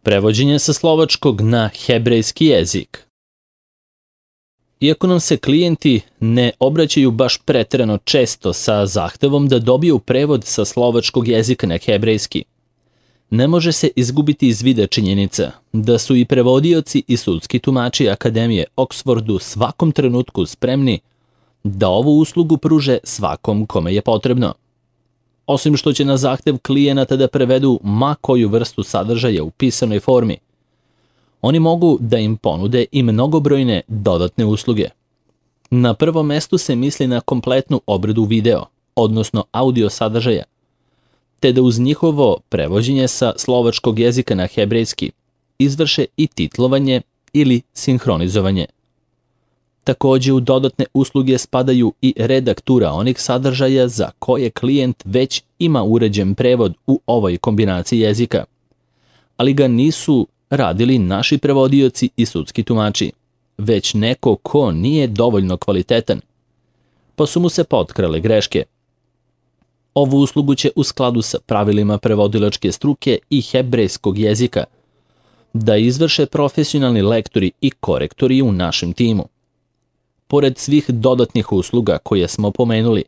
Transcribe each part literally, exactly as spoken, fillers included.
Prevođenje sa slovačkog na hebrejski jezik. Iako nam se klijenti ne obraćaju baš preterano često sa zahtevom da dobiju prevod sa slovačkog jezika na hebrejski, ne može se izgubiti iz vida činjenica da su i prevodioci i sudski tumači Akademije Oxford u svakom trenutku spremni da ovu uslugu pruže svakom kome je potrebno. Osim što će na zahtev klijenata da prevedu ma koju vrstu sadržaja u pisanoj formi, oni mogu da im ponude i mnogobrojne dodatne usluge. Na prvom mestu se misli na kompletnu obradu video, odnosno audio sadržaja, te da uz njihovo prevođenje sa slovačkog jezika na hebrejski izvrše i titlovanje ili sinhronizovanje. Takođe u dodatne usluge spadaju i redaktura onih sadržaja za koje klijent već ima uređen prevod u ovoj kombinaciji jezika, ali ga nisu radili naši prevodioci i sudski tumači, već neko ko nije dovoljno kvalitetan, pa su mu se potkrale greške. Ovu uslugu će u skladu sa pravilima prevodilačke struke i hebrejskog jezika da izvrše profesionalni lektori i korektori u našem timu. Pored svih dodatnih usluga koje smo pomenuli,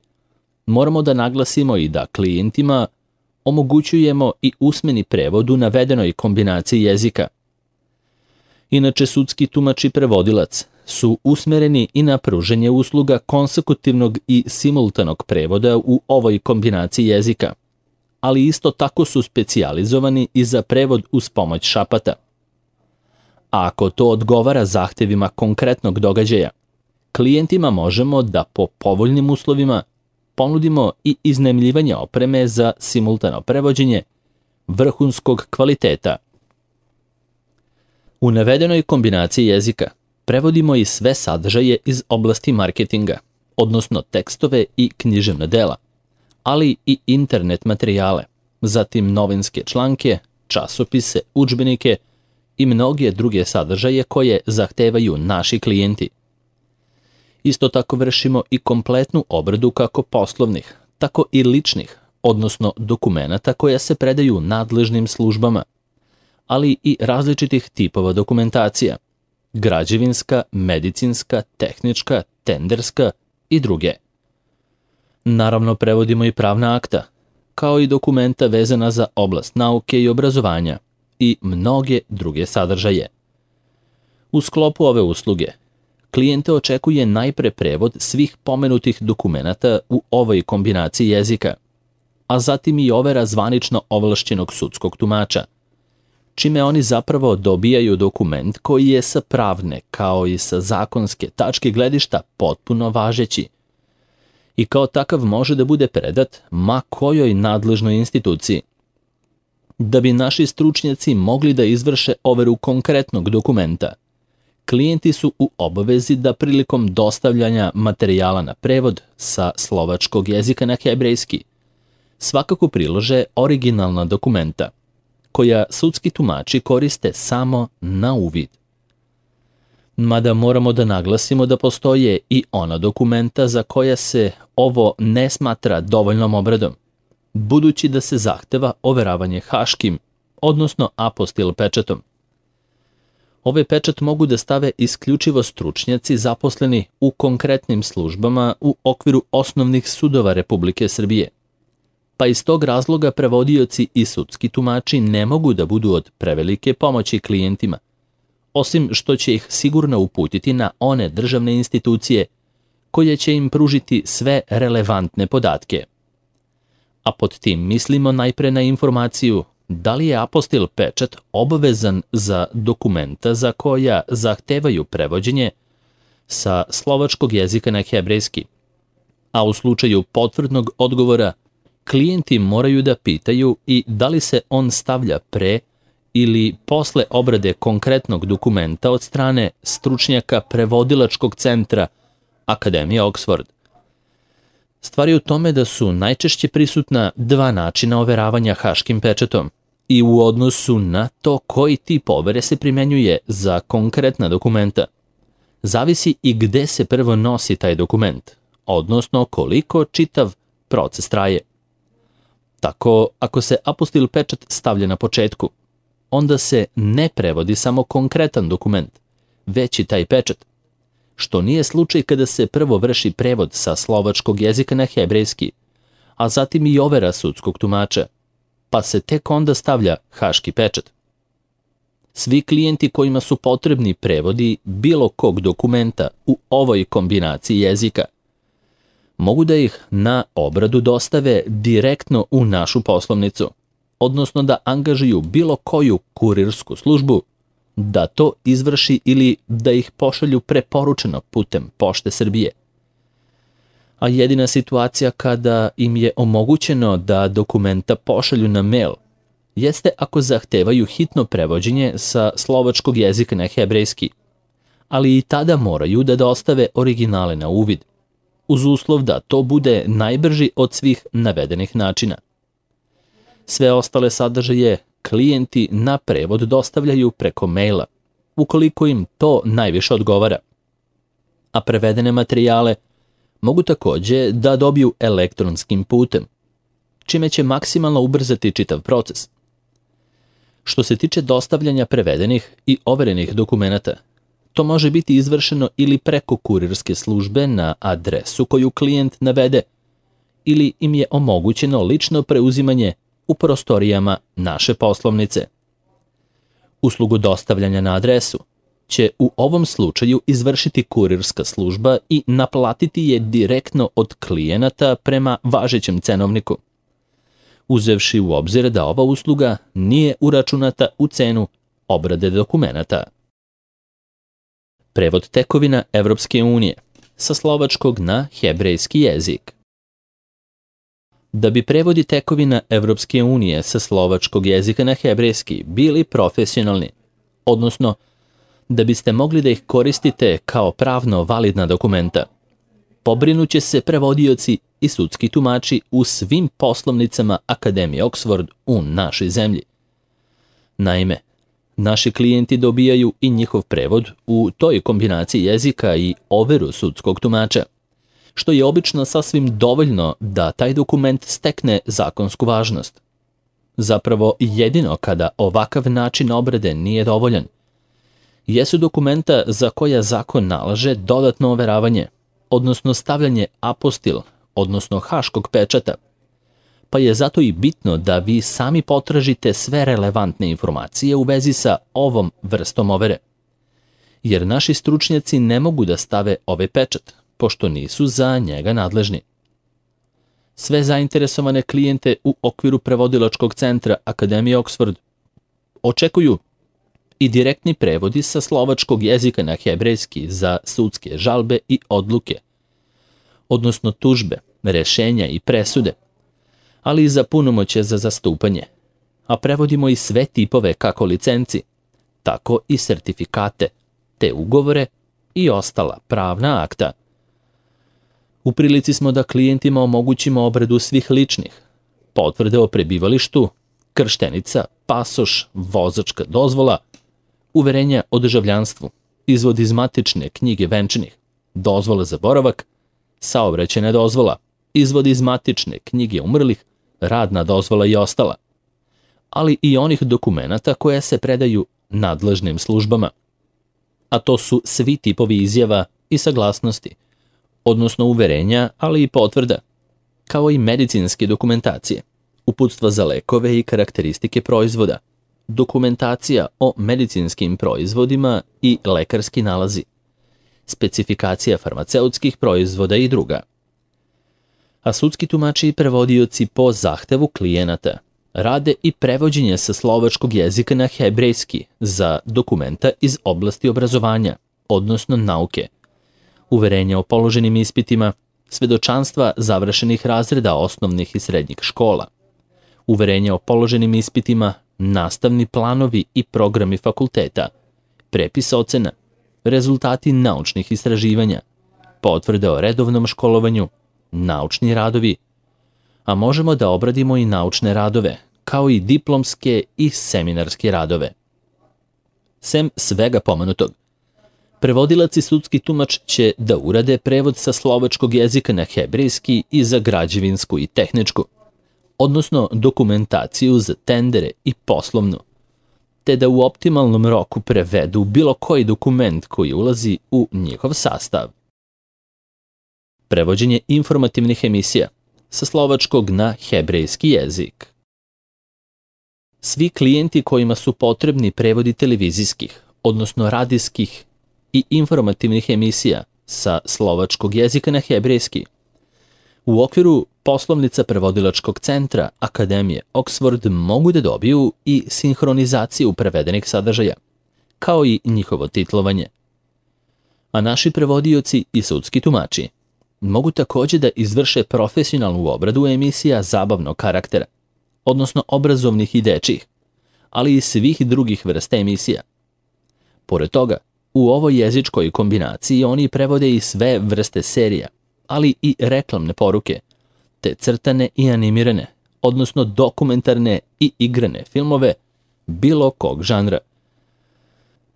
moramo da naglasimo i da klijentima omogućujemo i usmeni prevod u navedenoj kombinaciji jezika. Inače, sudski tumač i prevodilac su usmereni i na pruženje usluga konsekutivnog i simultanog prevoda u ovoj kombinaciji jezika, ali isto tako su specijalizovani i za prevod uz pomoć šapata. A ako to odgovara zahtevima konkretnog događaja, klijentima možemo da po povoljnim uslovima ponudimo i iznajmljivanje opreme za simultano prevođenje vrhunskog kvaliteta. U navedenoj kombinaciji jezika prevodimo i sve sadržaje iz oblasti marketinga, odnosno tekstove i književna dela, ali i internet materijale, zatim novinske članke, časopise, udžbenike i mnoge druge sadržaje koje zahtevaju naši klijenti. Isto tako vršimo i kompletnu obradu kako poslovnih, tako i ličnih, odnosno dokumenata koja se predaju nadležnim službama, ali i različitih tipova dokumentacija, građevinska, medicinska, tehnička, tenderska i druge. Naravno, prevodimo i pravna akta, kao i dokumenta vezana za oblast nauke i obrazovanja i mnoge druge sadržaje. U sklopu ove usluge, klijente očekuje najpre prevod svih pomenutih dokumenata u ovoj kombinaciji jezika, a zatim i overa zvanično ovlašćenog sudskog tumača, čime oni zapravo dobijaju dokument koji je sa pravne kao i sa zakonske tačke gledišta potpuno važeći i kao takav može da bude predat ma kojoj nadležnoj instituciji. Da bi naši stručnjaci mogli da izvrše overu konkretnog dokumenta, klijenti su u obavezi da prilikom dostavljanja materijala na prevod sa slovačkog jezika na hebrejski svakako prilože originalna dokumenta, koja sudski tumači koriste samo na uvid. Mada moramo da naglasimo da postoje i ona dokumenta za koja se ovo ne smatra dovoljnom obradom, budući da se zahteva overavanje haškim, odnosno apostil pečatom. Ovaj pečat mogu da stave isključivo stručnjaci zaposleni u konkretnim službama u okviru osnovnih sudova Republike Srbije, pa iz tog razloga prevodioci i sudski tumači ne mogu da budu od prevelike pomoći klijentima, osim što će ih sigurno uputiti na one državne institucije koje će im pružiti sve relevantne podatke. A pod tim mislimo najpre na informaciju da li je apostil pečat obavezan za dokumenta za koja zahtevaju prevođenje sa slovačkog jezika na hebrejski, a u slučaju potvrdnog odgovora klijenti moraju da pitaju i da li se on stavlja pre ili posle obrade konkretnog dokumenta od strane stručnjaka prevodilačkog centra Akademije Oxford. Stvar je u tome da su najčešće prisutna dva načina overavanja haškim pečatom i u odnosu na to koji tip overe se primenjuje za konkretna dokumenta. Zavisi i gde se prvo nosi taj dokument, odnosno koliko čitav proces traje. Tako, ako se apostil pečat stavlja na početku, onda se ne prevodi samo konkretan dokument, već i taj pečat, što nije slučaj kada se prvo vrši prevod sa slovačkog jezika na hebrejski, a zatim i overa sudskog tumača, pa se tek onda stavlja haški pečat. Svi klijenti kojima su potrebni prevodi bilo kog dokumenta u ovoj kombinaciji jezika mogu da ih na obradu dostave direktno u našu poslovnicu, odnosno da angažuju bilo koju kurirsku službu da to izvrši ili da ih pošalju preporučeno putem Pošte Srbije. A jedina situacija kada im je omogućeno da dokumenta pošalju na mail jeste ako zahtevaju hitno prevođenje sa slovačkog jezika na hebrejski, ali i tada moraju da dostave originale na uvid, uz uslov da to bude najbrži od svih navedenih načina. Sve ostale sadržaje klijenti na prevod dostavljaju preko maila, ukoliko im to najviše odgovara. A prevedene materijale mogu takođe da dobiju elektronskim putem, čime će maksimalno ubrzati čitav proces. Što se tiče dostavljanja prevedenih i overenih dokumenata, to može biti izvršeno ili preko kurirske službe na adresu koju klijent navede, ili im je omogućeno lično preuzimanje u prostorijama naše poslovnice. Uslugu dostavljanja na adresu će u ovom slučaju izvršiti kurirska služba i naplatiti je direktno od klijenata prema važećem cenovniku, uzevši u obzir da ova usluga nije uračunata u cenu obrade dokumenata. Prevod tekovina Evropske unije sa slovačkog na hebrejski jezik. Da bi prevodi tekovina Evropske unije sa slovačkog jezika na hebrejski bili profesionalni, odnosno da biste mogli da ih koristite kao pravno validna dokumenta, pobrinuće se prevodioci i sudski tumači u svim poslovnicama Akademije Oxford u našoj zemlji. Naime, naši klijenti dobijaju i njihov prevod u toj kombinaciji jezika i overu sudskog tumača, što je obično sasvim dovoljno da taj dokument stekne zakonsku važnost. Zapravo, jedino kada ovakav način obrade nije dovoljan, jesu dokumenta za koja zakon nalaže dodatno overavanje, odnosno stavljanje apostil, odnosno haškog pečata, pa je zato i bitno da vi sami potražite sve relevantne informacije u vezi sa ovom vrstom overe, jer naši stručnjaci ne mogu da stave ovaj pečat, pošto nisu za njega nadležni. Sve zainteresovane klijente u okviru prevodilačkog centra Akademije Oxford očekuju i direktni prevodi sa slovačkog jezika na hebrejski za sudske žalbe i odluke, odnosno tužbe, rešenja i presude, ali i za punomoćje za zastupanje, a prevodimo i sve tipove kako licenci, tako i sertifikate, te ugovore i ostala pravna akta. U prilici smo da klijentima omogućimo obradu svih ličnih, potvrde o prebivalištu, krštenica, pasoš, vozačka dozvola, uverenja o državljanstvu, izvod iz matične knjige venčanih, dozvola za boravak, saobraćajna dozvola, izvod iz matične knjige umrlih, radna dozvola i ostala, ali i onih dokumenata koje se predaju nadležnim službama. A to su svi tipovi izjava i saglasnosti, odnosno uverenja, ali i potvrda, kao i medicinske dokumentacije, uputstva za lekove i karakteristike proizvoda, dokumentacija o medicinskim proizvodima i lekarski nalazi, specifikacija farmaceutskih proizvoda i druga. A sudski tumači i prevodioci po zahtevu klijenata rade i prevođenje sa slovačkog jezika na hebrejski za dokumenta iz oblasti obrazovanja, odnosno nauke, uverenja o položenim ispitima, svedočanstva završenih razreda osnovnih i srednjih škola, uverenja o položenim ispitima, nastavni planovi i programi fakulteta, prepis ocena, rezultati naučnih istraživanja, potvrde o redovnom školovanju, naučni radovi, a možemo da obradimo i naučne radove, kao i diplomske i seminarske radove. Sem svega pomenutog, prevodilac i sudski tumač će da urade prevod sa slovačkog jezika na hebrejski i za građevinsku i tehničku, odnosno dokumentaciju za tendere i poslovnu, te da u optimalnom roku prevedu bilo koji dokument koji ulazi u njihov sastav. Prevođenje informativnih emisija sa slovačkog na hebrejski jezik. Svi klijenti kojima su potrebni prevodi televizijskih, odnosno radijskih i informativnih emisija sa slovačkog jezika na hebrejski, u okviru poslovnica prevodilačkog centra Akademije Oxford mogu da dobiju i sinhronizaciju prevedenih sadržaja, kao i njihovo titlovanje. A naši prevodioci i sudski tumači mogu takođe da izvrše profesionalnu obradu emisija zabavnog karaktera, odnosno obrazovnih i dečjih, ali i svih drugih vrsta emisija. Pored toga, u ovoj jezičkoj kombinaciji oni prevode i sve vrste serija, ali i reklamne poruke, te crtane i animirane, odnosno dokumentarne i igrane filmove bilo kog žanra.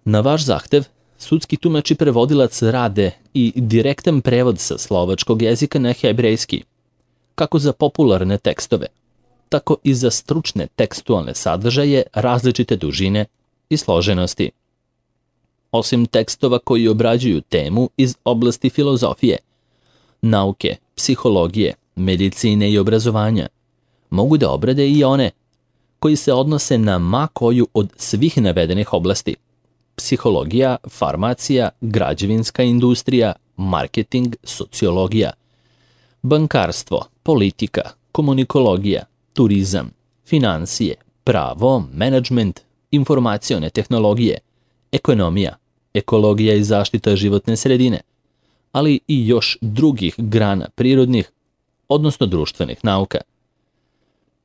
Na vaš zahtev, sudski tumač i prevodilac rade i direktan prevod sa slovačkog jezika na hebrejski, kako za popularne tekstove, tako i za stručne tekstualne sadržaje različite dužine i složenosti. Osim tekstova koji obrađuju temu iz oblasti filozofije, nauke, psihologije, medicine i obrazovanja, mogu da obrade i one koji se odnose na ma koju od svih navedenih oblasti: psihologija, farmacija, građevinska industrija, marketing, sociologija, bankarstvo, politika, komunikologija, turizam, finansije, pravo, menadžment, informacione tehnologije, ekonomija, ekologija i zaštita životne sredine, ali i još drugih grana prirodnih, odnosno društvenih nauka.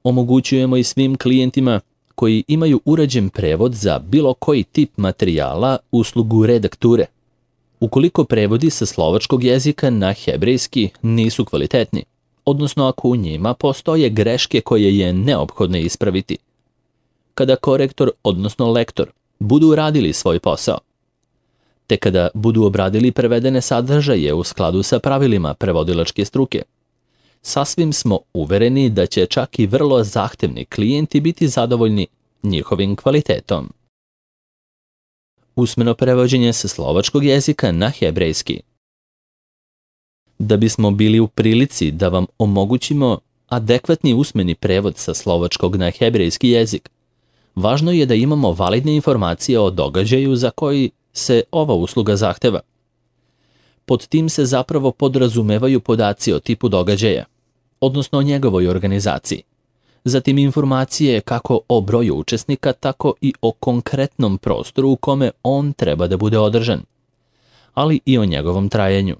Omogućujemo i svim klijentima koji imaju urađen prevod za bilo koji tip materijala uslugu redakture. Ukoliko prevodi sa slovačkog jezika na hebrejski nisu kvalitetni, odnosno ako u njima postoje greške koje je neophodno ispraviti. Kada korektor, odnosno lektor, budu uradili svoj posao, te kada budu obradili prevedene sadržaje u skladu sa pravilima prevodilačke struke, sasvim smo uvereni da će čak i vrlo zahtevni klijenti biti zadovoljni njihovim kvalitetom. Usmeno prevođenje sa slovačkog jezika na hebrejski. Da bismo bili u prilici da vam omogućimo adekvatni usmeni prevod sa slovačkog na hebrejski jezik, važno je da imamo validne informacije o događaju za koji se ova usluga zahteva. Pod tim se zapravo podrazumevaju podaci o tipu događaja, odnosno o njegovoj organizaciji, zatim informacije kako o broju učesnika, tako i o konkretnom prostoru u kome on treba da bude održan, ali i o njegovom trajanju.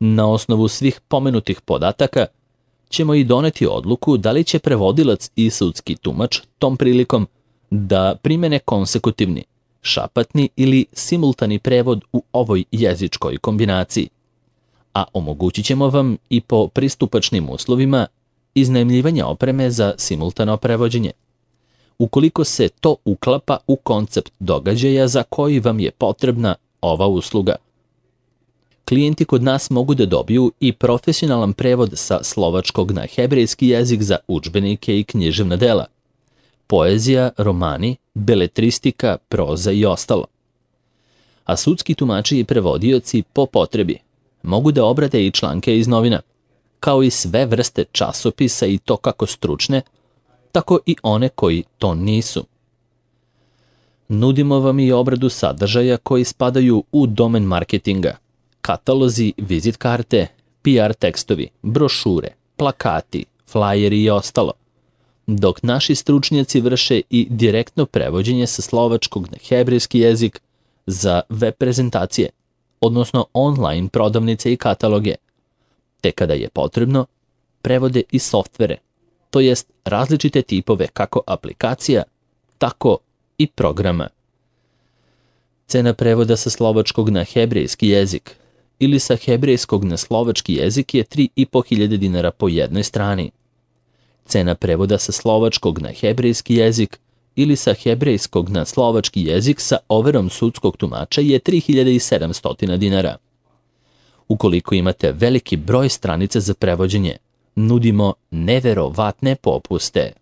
Na osnovu svih pomenutih podataka ćemo i doneti odluku da li će prevodilac i sudski tumač tom prilikom da primene konsekutivni, šapatni ili simultani prevod u ovoj jezičkoj kombinaciji, a omogućit ćemo vam i po pristupačnim uslovima iznajmljivanja opreme za simultano prevođenje, ukoliko se to uklapa u koncept događaja za koji vam je potrebna ova usluga. Klijenti kod nas mogu da dobiju i profesionalan prevod sa slovačkog na hebrejski jezik za udžbenike i književna dela, poezija, romani, beletristika, proza i ostalo. A sudski tumači i prevodioci po potrebi mogu da obrade i članke iz novina, kao i sve vrste časopisa i to kako stručne, tako i one koji to nisu. Nudimo vam i obradu sadržaja koji spadaju u domen marketinga, katalozi, vizit karte, P R tekstovi, brošure, plakati, flajeri i ostalo, dok naši stručnjaci vrše i direktno prevođenje sa slovačkog na hebrejski jezik za web prezentacije, odnosno online prodavnice i kataloge, te kada je potrebno, prevode i softvere, to jest različite tipove kako aplikacija, tako i programa. Cena prevoda sa slovačkog na hebrejski jezik ili sa hebrejskog na slovački jezik je tri i po hiljade dinara po jednoj strani. Cena prevoda sa slovačkog na hebrejski jezik ili sa hebrejskog na slovački jezik sa overom sudskog tumača je tri hiljade sedamsto dinara. Ukoliko imate veliki broj stranica za prevođenje, nudimo neverovatne popuste.